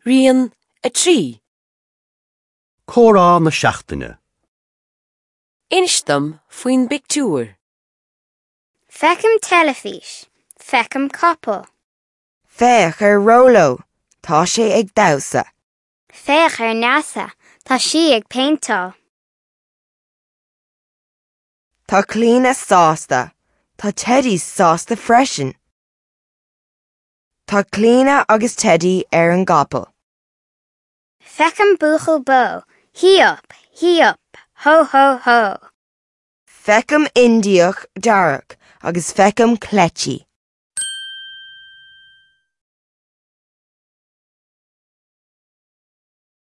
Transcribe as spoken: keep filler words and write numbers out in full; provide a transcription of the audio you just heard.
Rian a trí. Comhrá na seachtaine. Inis dom faoin bpictiúr. Feicim teilifís. Feicim capall. Féach ar Róló, tá sé ag damhsa. Féach ar Neasa, tá sí ag péinteáil. Tá Clíona sásta, Tá Teddy sásta freisin. Tá Clíona agus Teddy ar an gcapall. Feicim buachaill bó, hí up, hí up, ho ho ho. Feicim Indiach dearg agus feicim cleití.